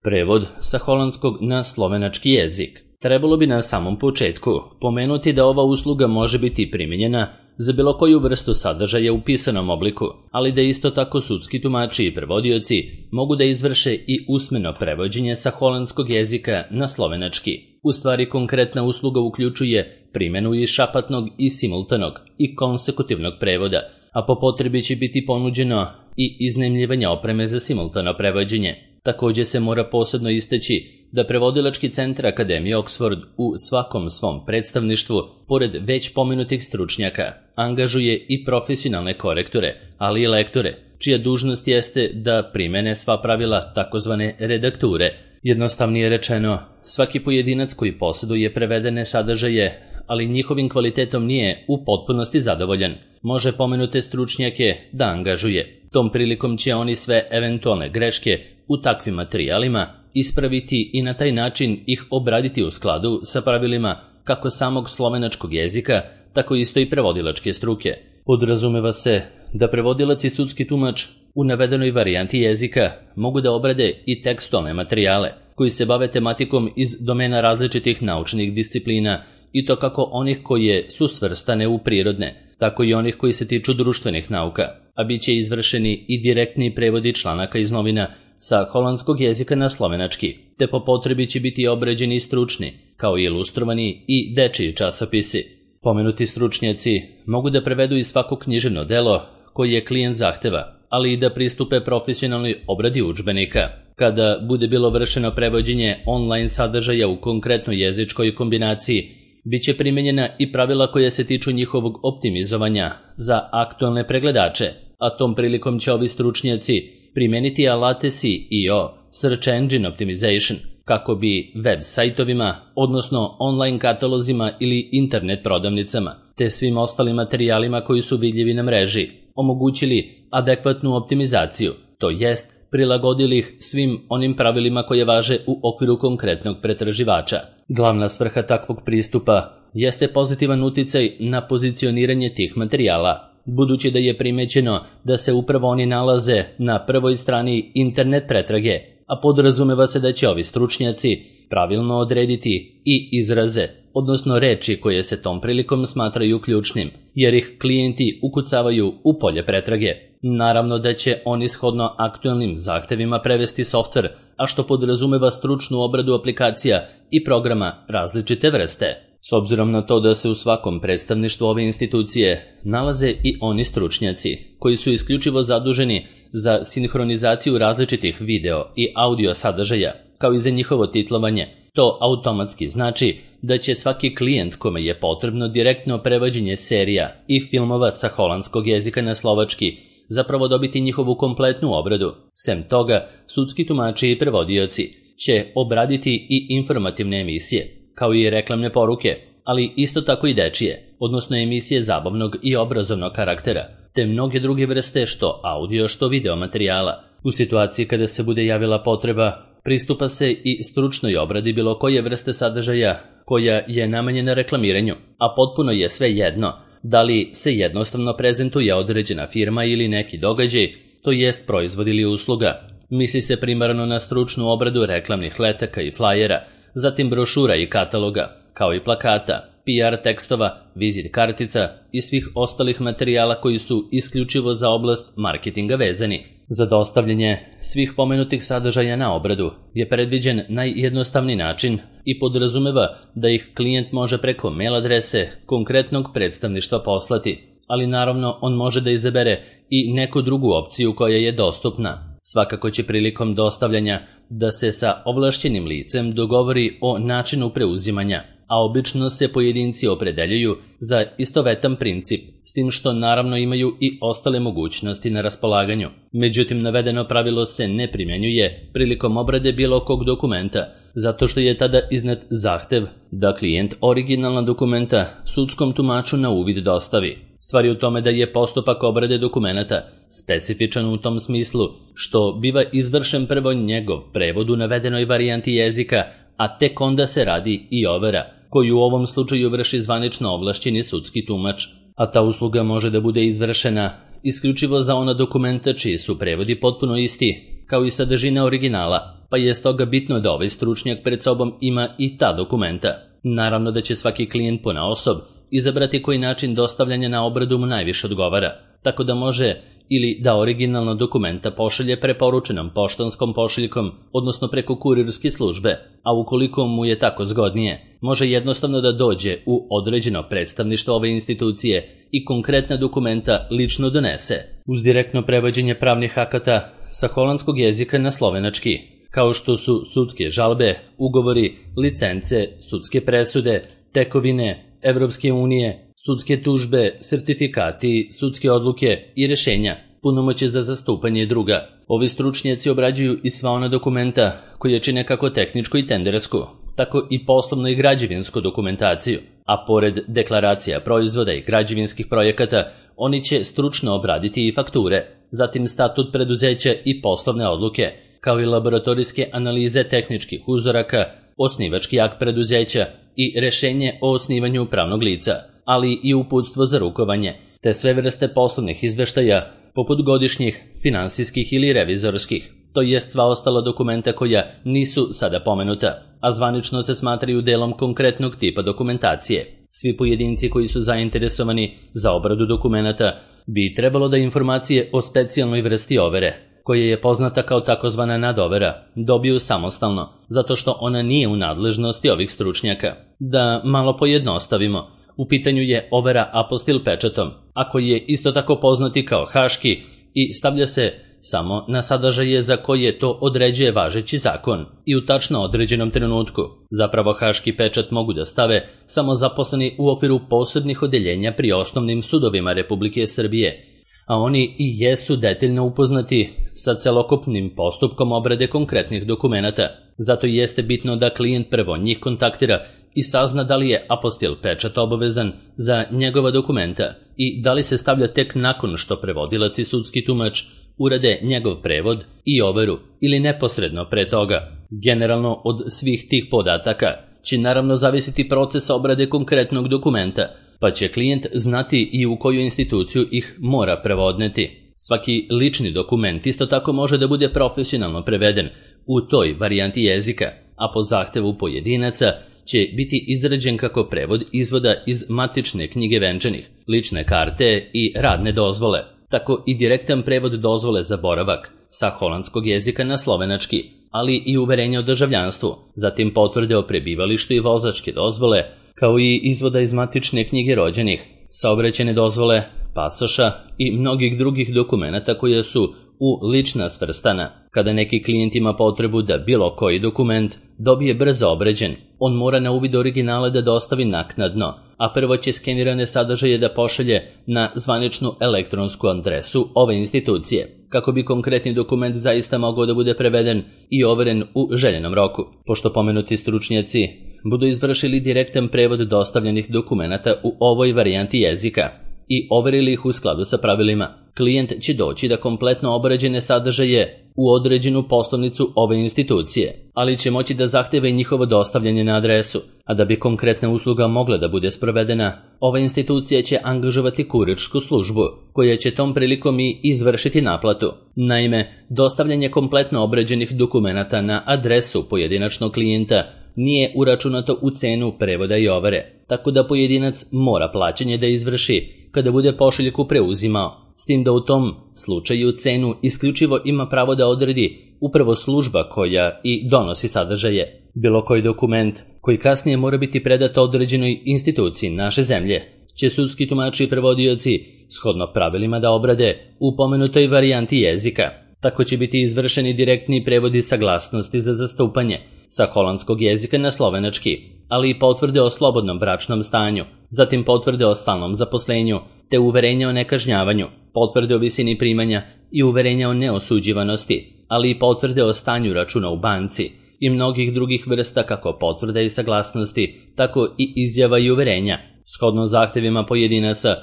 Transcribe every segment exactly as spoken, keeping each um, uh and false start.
Prevod sa holandskog na slovenački jezik. Trebalo bi na samom početku pomenuti da ova usluga može biti primijenjena za bilo koju vrstu sadržaja u pisanom obliku, ali da isto tako sudski tumači i prevodioci mogu da izvrše i usmeno prevođenje sa holandskog jezika na slovenački. U stvari, konkretna usluga uključuje primjenu i šapatnog i simultanog i konsekutivnog prevoda, a po potrebi će biti ponuđeno i iznajmljivanje opreme za simultano prevođenje. Također se mora posebno istaći da prevodilački centar Akademije Oxford u svakom svom predstavništvu, pored već pomenutih stručnjaka, angažuje i profesionalne korektore, ali i lektore, čija dužnost jeste da primene sva pravila takozvane redakture. Jednostavnije rečeno, svaki pojedinac koji posjeduje prevedene sadržaje, ali njihovim kvalitetom nije u potpunosti zadovoljan, može pomenute stručnjake da angažuje. Tom prilikom će oni sve eventualne greške u takvim materijalima ispraviti i na taj način ih obraditi u skladu sa pravilima kako samog slovenačkog jezika, tako isto i prevodilačke struke. Podrazumeva se da prevodilac i sudski tumač u navedenoj varijanti jezika mogu da obrade i tekstualne materijale koji se bave tematikom iz domena različitih naučnih disciplina, i to kako onih koje su svrstane u prirodne, tako i onih koji se tiču društvenih nauka, a bit će izvršeni i direktni prevodi članaka iz novina sa holandskog jezika na slovenački, te po potrebi će biti obrađeni i stručni, kao i ilustrovani i dečiji časopisi. Pomenuti stručnjaci mogu da prevedu i svako književno delo koje klijent zahteva, ali i da pristupe profesionalnoj obradi udžbenika. Kada bude bilo vršeno prevođenje online sadržaja u konkretnoj jezičkoj kombinaciji, bit će primjenjena i pravila koja se tiču njihovog optimizovanja za aktualne pregledače, a tom prilikom će ovi stručnjaci primeniti alate S E O, Search Engine Optimization, kako bi web sajtovima, odnosno online katalozima ili internet prodavnicama, te svim ostalim materijalima koji su vidljivi na mreži, omogućili adekvatnu optimizaciju, to jest prilagodili ih svim onim pravilima koje važe u okviru konkretnog pretraživača. Glavna svrha takvog pristupa jeste pozitivan uticaj na pozicioniranje tih materijala, budući da je primećeno da se upravo oni nalaze na prvoj strani internet pretrage, a podrazumeva se da će ovi stručnjaci pravilno odrediti i izraze, odnosno reči koje se tom prilikom smatraju ključnim, jer ih klijenti ukucavaju u polje pretrage. Naravno da će oni shodno aktualnim zahtevima prevesti softver, a što podrazumeva stručnu obradu aplikacija i programa različite vrste. S obzirom na to da se u svakom predstavništvu ove institucije nalaze i oni stručnjaci koji su isključivo zaduženi za sinhronizaciju različitih video i audio sadržaja, kao i za njihovo titlovanje, to automatski znači da će svaki klijent kome je potrebno direktno prevođenje serija i filmova sa holandskog jezika na slovački zapravo dobiti njihovu kompletnu obradu. Sem toga, sudski tumači i prevodioci će obraditi i informativne emisije, kao i reklamne poruke, ali isto tako i dečije, odnosno emisije zabavnog i obrazovnog karaktera, te mnoge druge vrste što audio što video materijala. U situaciji kada se bude javila potreba, pristupa se i stručnoj obradi bilo koje vrste sadržaja koja je namenjena reklamiranju, a potpuno je sve jedno da li se jednostavno prezentuje određena firma ili neki događaj, to jest proizvod ili usluga. Misli se primarno na stručnu obradu reklamnih letaka i flajera, zatim brošura i kataloga, kao i plakata, P R tekstova, vizit kartica i svih ostalih materijala koji su isključivo za oblast marketinga vezani. Za dostavljanje svih pomenutih sadržaja na obradu je predviđen najjednostavniji način i podrazumeva da ih klijent može preko mail adrese konkretnog predstavništva poslati, ali naravno on može da izabere i neku drugu opciju koja je dostupna. Svakako će prilikom dostavljanja da se sa ovlašćenim licem dogovori o načinu preuzimanja, a obično se pojedinci opredeljuju za istovetan princip, s tim što naravno imaju i ostale mogućnosti na raspolaganju. Međutim, navedeno pravilo se ne primjenjuje prilikom obrade bilo kog dokumenta, zato što je tada iznet zahtev da klijent originalna dokumenta sudskom tumaču na uvid dostavi. Stvar je u tome da je postupak obrade dokumenata specifičan u tom smislu što biva izvršen prvo njegov prevod u navedenoj varijanti jezika, a tek onda se radi i overa, koju u ovom slučaju vrši zvanično ovlašćeni sudski tumač, a ta usluga može da bude izvršena isključivo za ona dokumenta čiji su prevodi potpuno isti, kao i sadržina originala, pa je stoga bitno da ovaj stručnjak pred sobom ima i ta dokumenta. Naravno da će svaki klijent ponaosob izabrati koji način dostavljanja na obradu mu najviše odgovara, tako da može ili da originalno dokumenta pošalje preporučenom poštanskom pošiljkom, odnosno preko kurirske službe, a ukoliko mu je tako zgodnije, može jednostavno da dođe u određeno predstavništvo ove institucije i konkretna dokumenta lično donese, uz direktno prevođenje pravnih akata sa holandskog jezika na slovenački, kao što su sudske žalbe, ugovori, licence, sudske presude, tekovine Evropske unije, sudske tužbe, sertifikati, sudske odluke i rešenja, punomoćje za zastupanje i druga. Ovi stručnjaci obrađuju i sva ona dokumenta koje čine kako tehničku i tendersku, tako i poslovnu i građevinsku dokumentaciju, a pored deklaracija proizvoda i građevinskih projekata, oni će stručno obraditi i fakture, zatim statut preduzeća i poslovne odluke, kao i laboratorijske analize tehničkih uzoraka, osnivački akt preduzeća i rešenje o osnivanju pravnog lica, ali i uputstvo za rukovanje, te sve vrste poslovnih izveštaja, poput godišnjih, finansijskih ili revizorskih, to jest sva ostala dokumenta koja nisu sada pomenuta, a zvanično se smatraju delom konkretnog tipa dokumentacije. Svi pojedinci koji su zainteresovani za obradu dokumenata bi trebalo da informacije o specijalnoj vrsti overe, koja je poznata kao takozvana nadovera, dobiju samostalno, zato što ona nije u nadležnosti ovih stručnjaka. Da malo pojednostavimo, u pitanju je overa apostil pečatom, a koji je isto tako poznati kao haški i stavlja se samo na sadržaje za koje to određuje važeći zakon i u tačno određenom trenutku. Zapravo haški pečat mogu da stave samo zaposleni u okviru posebnih odeljenja pri osnovnim sudovima Republike Srbije, a oni i jesu detaljno upoznati sa celokupnim postupkom obrade konkretnih dokumenata. Zato jeste bitno da klijent prvo njih kontaktira i sazna da li je apostil pečat obavezan za njegova dokumenta i da li se stavlja tek nakon što prevodilac i sudski tumač urade njegov prevod i overu ili neposredno pre toga. Generalno od svih tih podataka će naravno zavisiti proces obrade konkretnog dokumenta, pa će klijent znati i u koju instituciju ih mora prevodneti. Svaki lični dokument isto tako može da bude profesionalno preveden u toj varijanti jezika, a po zahtevu pojedinaca će biti izrađen kako prevod izvoda iz matične knjige venčanih, lične karte i radne dozvole, tako i direktan prevod dozvole za boravak sa holandskog jezika na slovenački, ali i uverenje o državljanstvu, zatim potvrde o prebivalištu i vozačke dozvole, kao i izvoda iz matične knjige rođenih, saobraćajne dozvole, pasoša i mnogih drugih dokumenata koje su u lična svrstana. Kada neki klijent ima potrebu da bilo koji dokument dobije brzo obrađen, on mora na uvid originale da dostavi naknadno, a prvo će skenirane sadržaje da pošalje na zvaničnu elektronsku adresu ove institucije, kako bi konkretni dokument zaista mogao da bude preveden i overen u željenom roku. Pošto pomenuti stručnjaci budu izvršili direktan prevod dostavljenih dokumenata u ovoj varijanti jezika i overili ih u skladu sa pravilima, klijent će doći da kompletno obrađene sadržaje u određenu poslovnicu ove institucije, ali će moći da zahteve i njihovo dostavljanje na adresu, a da bi konkretna usluga mogla da bude sprovedena, ova institucija će angažovati kurirsku službu, koja će tom prilikom i izvršiti naplatu. Naime, dostavljanje kompletno obrađenih dokumenata na adresu pojedinačnog klijenta nije uračunato u cenu prevoda i overe, tako da pojedinac mora plaćanje da izvrši kada bude pošiljku preuzimao, s tim da u tom slučaju cenu isključivo ima pravo da odredi upravo služba koja i donosi sadržaje. Bilo koji dokument koji kasnije mora biti predat određenoj instituciji naše zemlje će sudski tumači i prevodioci shodno pravilima da obrade u pomenutoj varijanti jezika. Tako će biti izvršeni direktni prevodi saglasnosti za zastupanje sa holandskog jezika na slovenački, ali i potvrde o slobodnom bračnom stanju, zatim potvrde o stalnom zaposlenju, te uverenja o nekažnjavanju, potvrde o visini primanja i uverenja o neosuđivanosti, ali i potvrde o stanju računa u banci i mnogih drugih vrsta kako potvrda i saglasnosti, tako i izjava i uverenja. Shodno zahtevima pojedinaca,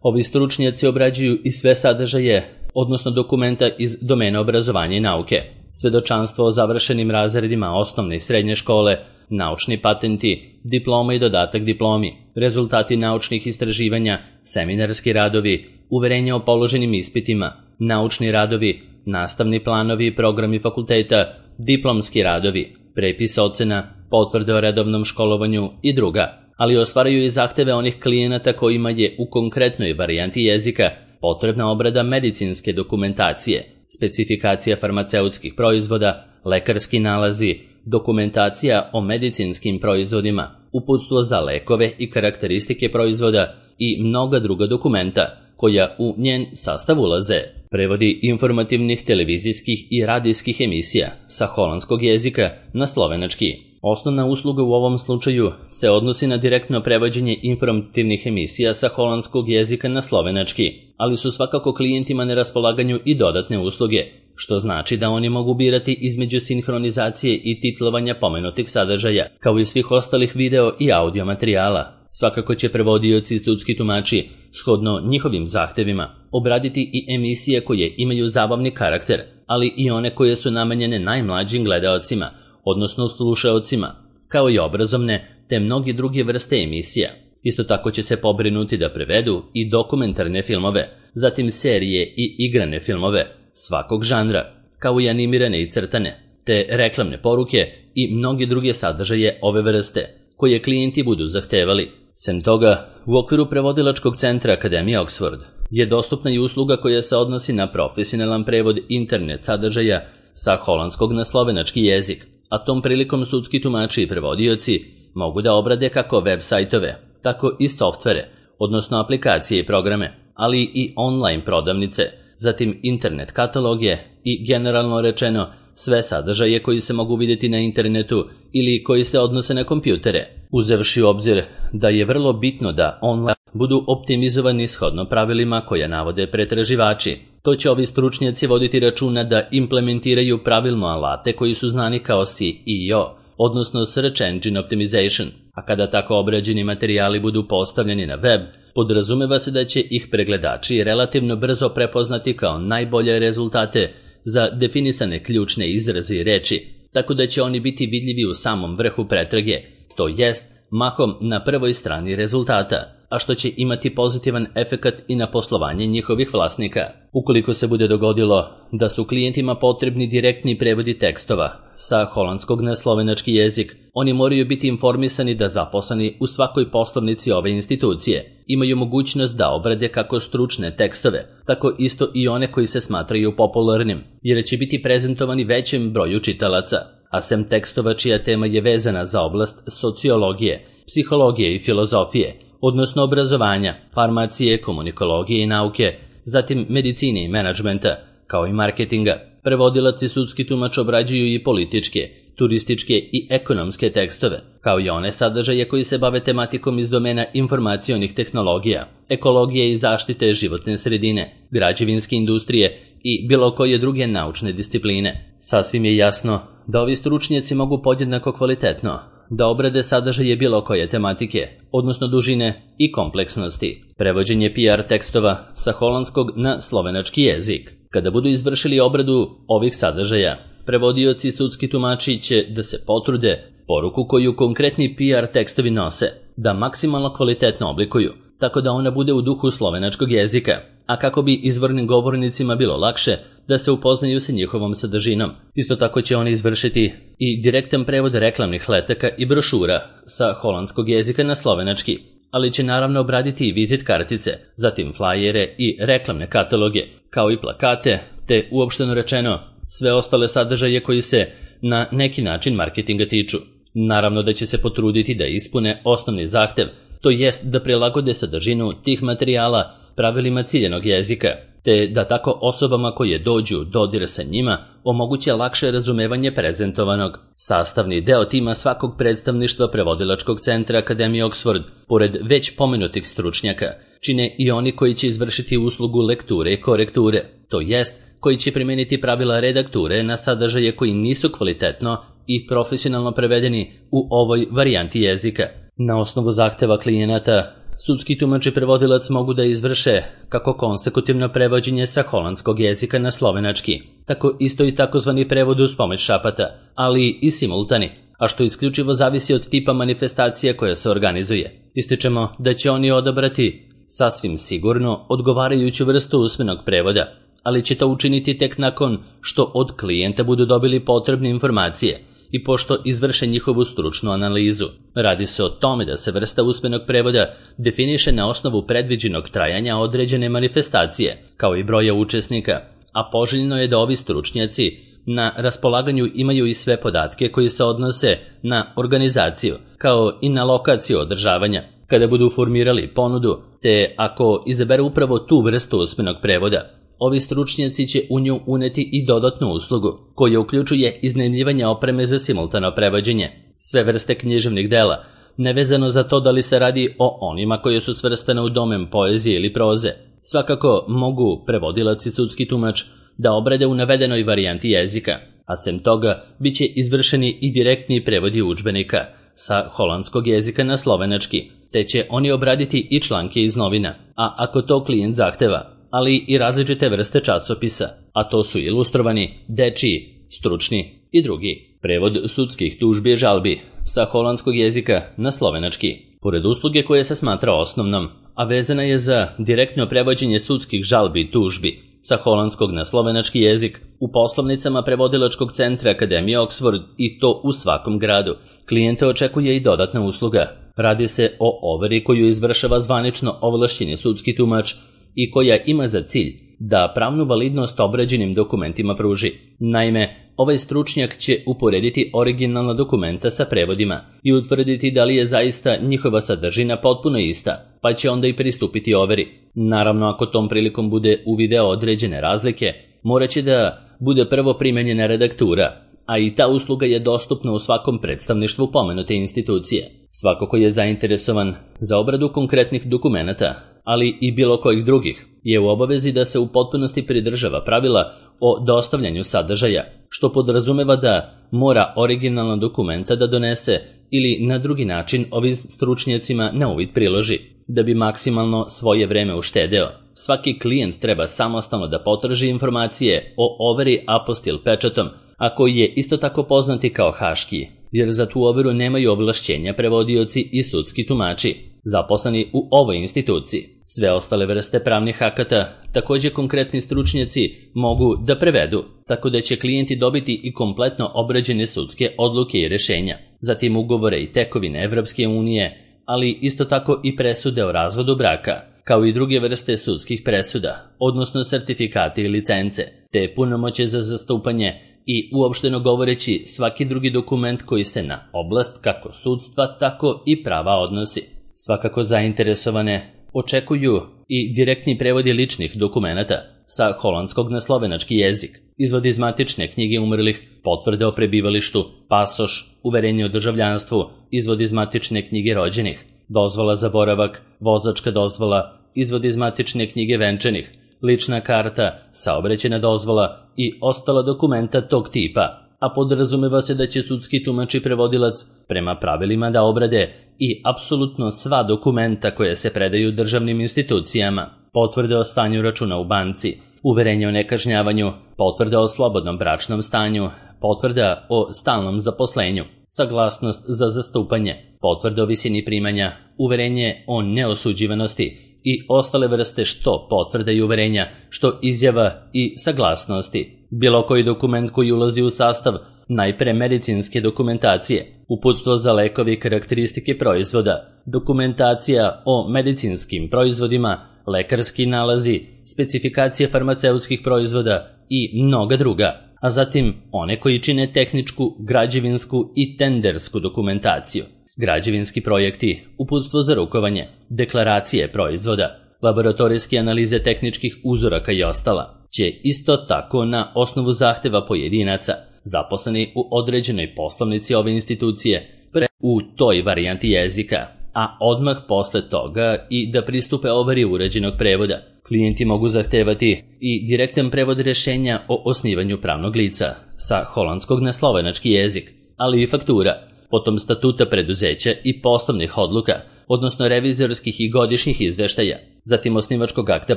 ovi stručnjaci obrađuju i sve sadržaje, odnosno dokumenta iz domena obrazovanja i nauke, svedočanstvo o završenim razredima osnovne i srednje škole, naučni patenti, diploma i dodatak diplomi, rezultati naučnih istraživanja, seminarski radovi, uverenja o položenim ispitima, naučni radovi, nastavni planovi i programi fakulteta, diplomski radovi, prepis ocena, potvrde o redovnom školovanju i druga, ali ostvaraju i zahteve onih klijenata kojima je u konkretnoj varijanti jezika potrebna obrada medicinske dokumentacije, specifikacija farmaceutskih proizvoda, lekarski nalazi, dokumentacija o medicinskim proizvodima, uputstvo za lekove i karakteristike proizvoda i mnoga druga dokumenta koja u njen sastav ulaze. Prevodi informativnih televizijskih i radijskih emisija sa holandskog jezika na slovenački. Osnovna usluga u ovom slučaju se odnosi na direktno prevođenje informativnih emisija sa holandskog jezika na slovenački, ali su svakako klijentima na raspolaganju i dodatne usluge, što znači da oni mogu birati između sinhronizacije i titlovanja pomenutih sadržaja, kao i svih ostalih video i audio materijala. Svakako će prevodioci i sudski tumači, shodno njihovim zahtevima, obraditi i emisije koje imaju zabavni karakter, ali i one koje su namenjene najmlađim gledaocima, odnosno slušaocima, kao i obrazovne, te mnogi druge vrste emisija. Isto tako će se pobrinuti da prevedu i dokumentarne filmove, zatim serije i igrane filmove svakog žanra, kao i animirane i crtane, te reklamne poruke i mnogi druge sadržaje ove vrste, koje klijenti budu zahtevali. Sem toga, u okviru prevodilačkog centra Akademije Oxford je dostupna i usluga koja se odnosi na profesionalan prevod internet sadržaja sa holandskog na slovenački jezik, a tom prilikom sudski tumači i prevodioci mogu da obrade kako web sajtove, tako i softvere, odnosno aplikacije i programe, ali i online prodavnice, zatim internet kataloge i generalno rečeno sve sadržaje koji se mogu vidjeti na internetu ili koji se odnose na kompjutere, uzevši u obzir da je vrlo bitno da online budu optimizovani shodno pravilima koja navode pretraživači. To će ovi stručnjaci voditi računa da implementiraju pravilno alate koji su znani kao S E O, odnosno Search Engine Optimization, a kada tako obrađeni materijali budu postavljeni na web, podrazumeva se da će ih pregledači relativno brzo prepoznati kao najbolje rezultate za definisane ključne izraze i reči, tako da će oni biti vidljivi u samom vrhu pretrage, to jest mahom na prvoj strani rezultata, a što će imati pozitivan efekat i na poslovanje njihovih vlasnika. Ukoliko se bude dogodilo da su klijentima potrebni direktni prevodi tekstova sa holandskog na slovenački jezik, oni moraju biti informisani da zaposleni u svakoj poslovnici ove institucije imaju mogućnost da obrade kako stručne tekstove, tako isto i one koji se smatraju popularnim, jer će biti prezentovani većem broju čitalaca, a sem tekstova čija tema je vezana za oblast sociologije, psihologije i filozofije, odnosno obrazovanja, farmacije, komunikologije i nauke, zatim medicine i menadžmenta, kao i marketinga. Prevodilac i sudski tumač obrađuju i političke, turističke i ekonomske tekstove, kao i one sadržaje koji se bave tematikom iz domena informacionih tehnologija, ekologije i zaštite životne sredine, građevinske industrije i bilo koje druge naučne discipline. Sasvim je jasno da ovi stručnjaci mogu podjednako kvalitetno da obrade sadržaje bilo koje tematike, odnosno dužine i kompleksnosti. Prevođenje P R tekstova sa holandskog na slovenački jezik. Kada budu izvršili obradu ovih sadržaja, prevodioci i sudski tumači će da se potrude poruku koju konkretni P R tekstovi nose, da maksimalno kvalitetno oblikuju, tako da ona bude u duhu slovenačkog jezika, a kako bi izvornim govornicima bilo lakše da se upoznaju sa njihovom sadržinom. Isto tako će oni izvršiti i direktan prevod reklamnih letaka i brošura sa holandskog jezika na slovenački, ali će naravno obraditi i vizit kartice, zatim flajere i reklamne kataloge, kao i plakate, te uopšteno rečeno sve ostale sadržaje koji se na neki način marketinga tiču. Naravno da će se potruditi da ispune osnovni zahtev, to jest da prilagode sadržinu tih materijala pravilima ciljenog jezika, te da tako osobama koje dođu dodir sa njima omoguće lakše razumevanje prezentovanog. Sastavni deo tima svakog predstavništva prevodilačkog centra Akademije Oxford, pored već pomenutih stručnjaka, čine i oni koji će izvršiti uslugu lekture i korekture, to jest koji će primijeniti pravila redakture na sadržaje koji nisu kvalitetno i profesionalno prevedeni u ovoj varijanti jezika. Na osnovu zahteva klijenata, sudski tumač i prevodilac mogu da izvrše kako konsekutivno prevođenje sa holandskog jezika na slovenački, tako isto i takozvani prevod uz pomoć šapata, ali i simultani, a što isključivo zavisi od tipa manifestacija koja se organizuje. Ističemo da će oni odabrati sasvim sigurno odgovarajuću vrstu usmenog prevoda, ali će to učiniti tek nakon što od klijenta budu dobili potrebne informacije i pošto izvrše njihovu stručnu analizu. Radi se o tome da se vrsta usmenog prevoda definiše na osnovu predviđenog trajanja određene manifestacije, kao i broja učesnika, a poželjno je da ovi stručnjaci na raspolaganju imaju i sve podatke koji se odnose na organizaciju, kao i na lokaciju održavanja, kada budu formirali ponudu, te ako izaberu upravo tu vrstu usmenog prevoda. Ovi stručnjaci će u nju uneti i dodatnu uslugu, koja uključuje iznajmljivanje opreme za simultano prevođenje, sve vrste književnih dela, nevezano za to da li se radi o onima koje su svrstane u domen poezije ili proze. Svakako mogu prevodilac i sudski tumač da obrade u navedenoj varijanti jezika, a sem toga bit će izvršeni i direktni prevodi udžbenika sa holandskog jezika na slovenački, te će oni obraditi i članke iz novina, a ako to klijent zahteva, ali i različite vrste časopisa, a to su ilustrovani, dečiji, stručni i drugi. Prevod sudskih tužbi i žalbi sa holandskog jezika na slovenački. Pored usluge koje se smatra osnovnom, a vezana je za direktno prevođenje sudskih žalbi i tužbi sa holandskog na slovenački jezik, u poslovnicama prevodilačkog centra Akademije Oxford i to u svakom gradu, klijente očekuje i dodatna usluga. Radi se o overi koju izvršava zvanično ovlašćeni sudski tumač i koja ima za cilj da pravnu validnost obrađenim dokumentima pruži. Naime, ovaj stručnjak će uporediti originalna dokumenta sa prevodima i utvrditi da li je zaista njihova sadržina potpuno ista, pa će onda i pristupiti overi. Naravno, ako tom prilikom bude uvideo određene razlike, morat će da bude prvo primenjena redaktura, a i ta usluga je dostupna u svakom predstavništvu pomenute institucije. Svako ko je zainteresovan za obradu konkretnih dokumenata, ali i bilo kojih drugih, je u obavezi da se u potpunosti pridržava pravila o dostavljanju sadržaja, što podrazumeva da mora originalna dokumenta da donese ili na drugi način ovim stručnjacima na uvid priloži, da bi maksimalno svoje vreme uštedeo. Svaki klijent treba samostalno da potraži informacije o overi apostil pečatom, a koji je isto tako poznati kao haški, jer za tu overu nemaju ovlašćenja prevodioci i sudski tumači, zaposleni u ovoj instituciji. Sve ostale vrste pravnih akata također konkretni stručnjaci mogu da prevedu, tako da će klijenti dobiti i kompletno obrađene sudske odluke i rešenja, zatim ugovore i tekovine Evropske unije, ali isto tako i presude o razvodu braka, kao i druge vrste sudskih presuda, odnosno sertifikate i licence, te punomoće za zastupanje i uopšteno govoreći svaki drugi dokument koji se na oblast kako sudstva, tako i prava odnosi. Svakako zainteresovane očekuju i direktni prevodi ličnih dokumenata sa holandskog na slovenački jezik, izvod iz matične knjige umrlih, potvrde o prebivalištu, pasoš, uverenje o državljanstvu, izvod iz matične knjige rođenih, dozvola za boravak, vozačka dozvola, izvod iz matične knjige venčanih, lična karta, saobraćajna dozvola i ostala dokumenta tog tipa, a podrazumeva se da će sudski tumač i prevodilac prema pravilima da obrade i apsolutno sva dokumenta koje se predaju državnim institucijama, potvrde o stanju računa u banci, uverenje o nekažnjavanju, potvrda o slobodnom bračnom stanju, potvrda o stalnom zaposlenju, saglasnost za zastupanje, potvrda o visini primanja, uverenje o neosuđivanosti i ostale vrste što potvrda i uverenja, što izjava i saglasnosti. Bilo koji dokument koji ulazi u sastav najpre medicinske dokumentacije, uputstvo za lekovi i karakteristike proizvoda, dokumentacija o medicinskim proizvodima, lekarski nalazi, specifikacije farmaceutskih proizvoda i mnoga druga, a zatim one koji čine tehničku, građevinsku i tendersku dokumentaciju, građevinski projekti, uputstvo za rukovanje, deklaracije proizvoda, laboratorijske analize tehničkih uzoraka i ostala, će isto tako na osnovu zahteva pojedinaca zaposleni u određenoj poslovnici ove institucije pre u toj varijanti jezika, a odmah posle toga i da pristupe overi uređenog prevoda. Klijenti mogu zahtevati i direktan prevod rešenja o osnivanju pravnog lica sa holandskog na slovenački jezik, ali i faktura, potom statuta preduzeća i poslovnih odluka, odnosno revizorskih i godišnjih izveštaja, zatim osnivačkog akta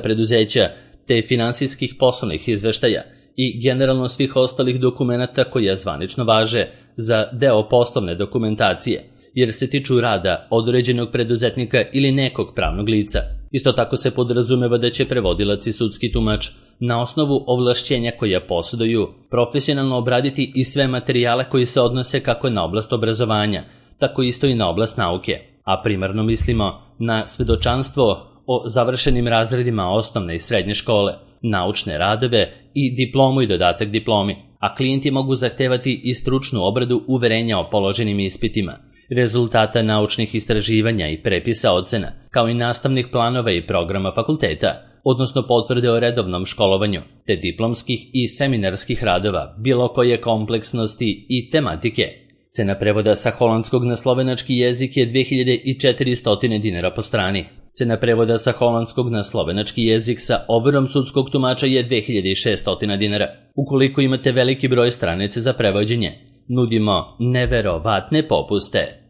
preduzeća, te finansijskih poslovnih izveštaja i generalno svih ostalih dokumenata koja zvanično važe za deo poslovne dokumentacije, jer se tiču rada određenog preduzetnika ili nekog pravnog lica. Isto tako se podrazumeva da će prevodilac i sudski tumač na osnovu ovlašćenja koja posjeduju, profesionalno obraditi i sve materijale koji se odnose kako na oblast obrazovanja, tako isto i na oblast nauke, a primarno mislimo na svedočanstvo o završenim razredima osnovne i srednje škole, naučne radove i diplomu i dodatak diplomi, a klijenti mogu zahtevati i stručnu obradu uverenja o položenim ispitima, rezultata naučnih istraživanja i prepisa ocena, kao i nastavnih planova i programa fakulteta, odnosno potvrde o redovnom školovanju, te diplomskih i seminarskih radova, bilo koje kompleksnosti i tematike. Cena prevoda sa holandskog na slovenački jezik je dve hiljade četiristo dinara po strani. Cena prevoda sa holandskog na slovenački jezik sa overom sudskog tumača je dve hiljade šesto dinara. Ukoliko imate veliki broj stranica za prevođenje, nudimo neverovatne popuste.